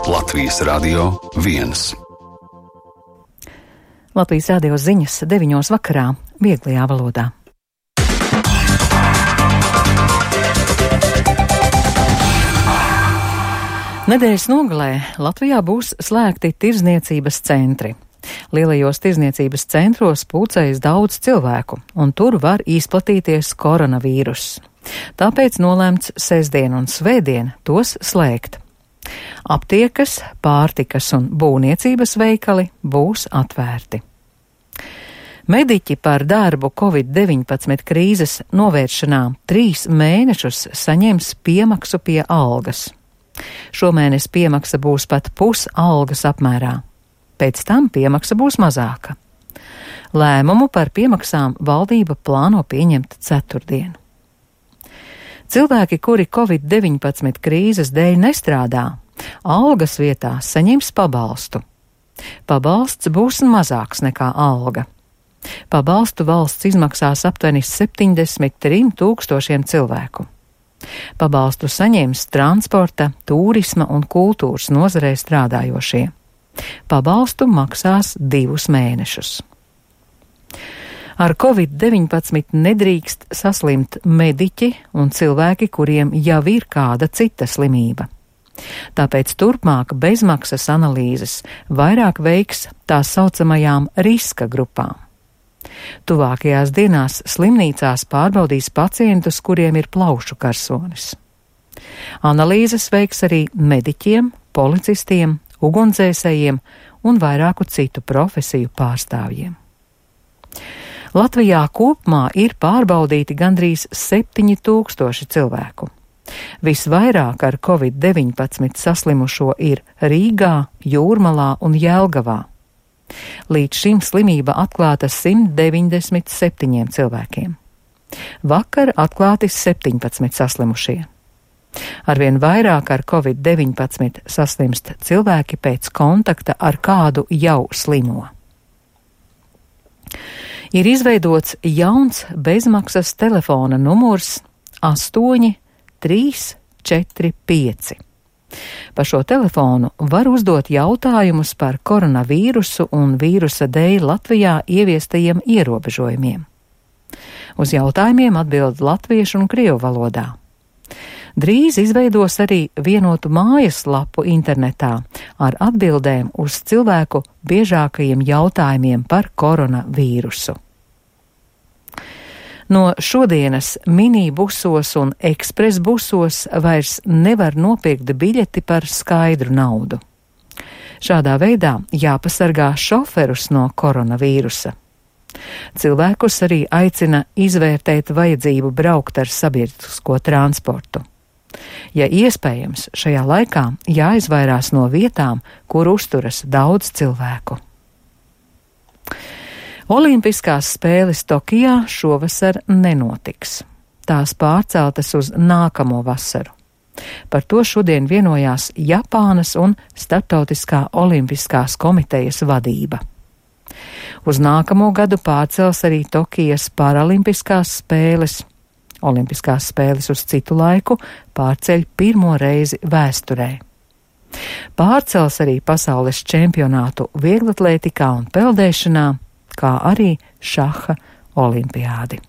Latvijas Radio 1. Latvijas radio ziņas 9 vakarā, vieglajā valodā. Nedēļas nogalē Latvijā būs slēgti tirdzniecības centri. Lielajos tirdzniecības centros pulcējas daudz cilvēku, un tur var izplatīties koronavīruss. Tāpēc nolēmts sestdien un svētdien tos slēgt. Aptiekas, pārtikas un būvniecības veikali būs atvērti. Mediķi par darbu Covid-19 krīzes novēršanā 3 mēnešus saņems piemaksu pie algas. Šomēnes piemaksa būs pat pusalgas apmērā. Pēc tam piemaksa būs mazāka. Lēmumu par piemaksām valdība plāno pieņemt ceturtdien. Cilvēki, kuri Covid-19 krīzes dēļ nestrādā, algas vietā saņems pabalstu. Pabalsts būs mazāks nekā alga. Pabalstu valsts izmaksās aptuveni 73 000 cilvēku. Pabalstu saņems transporta, turisma un kultūras nozarē strādājošie. Pabalstu maksās 2 mēnešus. Ar Covid-19 nedrīkst saslimt mediķi un cilvēki, kuriem jau ir kāda cita slimība. Tāpēc turpmāk bezmaksas analīzes vairāk veiks tā saucamajām riska grupām. Tuvākajās dienās slimnīcās pārbaudīs pacientus, kuriem ir plaušu karsonis. Analīzes veiks arī mediķiem, policistiem, ugunsdzēsējiem un vairāku citu profesiju pārstāvjiem. Latvijā kopumā ir pārbaudīti gandrīz 7000 cilvēku. Visvairāk ar Covid-19 saslimušo ir Rīgā, Jūrmalā un Jelgavā. Līdz šim slimība atklāta 197 cilvēkiem. Vakar atklāti 17 saslimušie. Arvien vairāk ar Covid-19 saslimst cilvēki pēc kontakta ar kādu jau slimo. Ir izveidots jauns bezmaksas telefona numurs 8345. Pa šo telefonu var uzdot jautājumus par koronavīrusu un vīrusa dēļ Latvijā ieviestajiem ierobežojumiem. Uz jautājumiem atbild latviešu un krievu valodā. Drīz izveidos arī vienotu mājaslapu internetā ar atbildēm uz cilvēku biežākajiem jautājumiem par koronavīrusu. No šodienas minibusos un ekspresbusos vairs nevar nopirkt biļeti par skaidru naudu. Šādā veidā jāpasargā šoferus no koronavīrusa. Cilvēkus arī aicina izvērtēt vajadzību braukt ar sabiedrisko transportu. Ja iespējams, šajā laikā jāizvairās no vietām, kur uzturas daudz cilvēku. Olimpiskās spēles Tokijā šovasar nenotiks. Tās pārceltas uz nākamo vasaru. Par to šodien vienojās Japānas un Starptautiskā olimpiskās komitejas vadība. Uz nākamo gadu pārcels arī Tokijas paralimpiskās spēles. Olimpiskās spēles uz citu laiku pārceļ pirmo reizi vēsturē. Pārcels arī pasaules čempionātu vieglatlētikā un peldēšanā, kā arī šaha olimpiādi.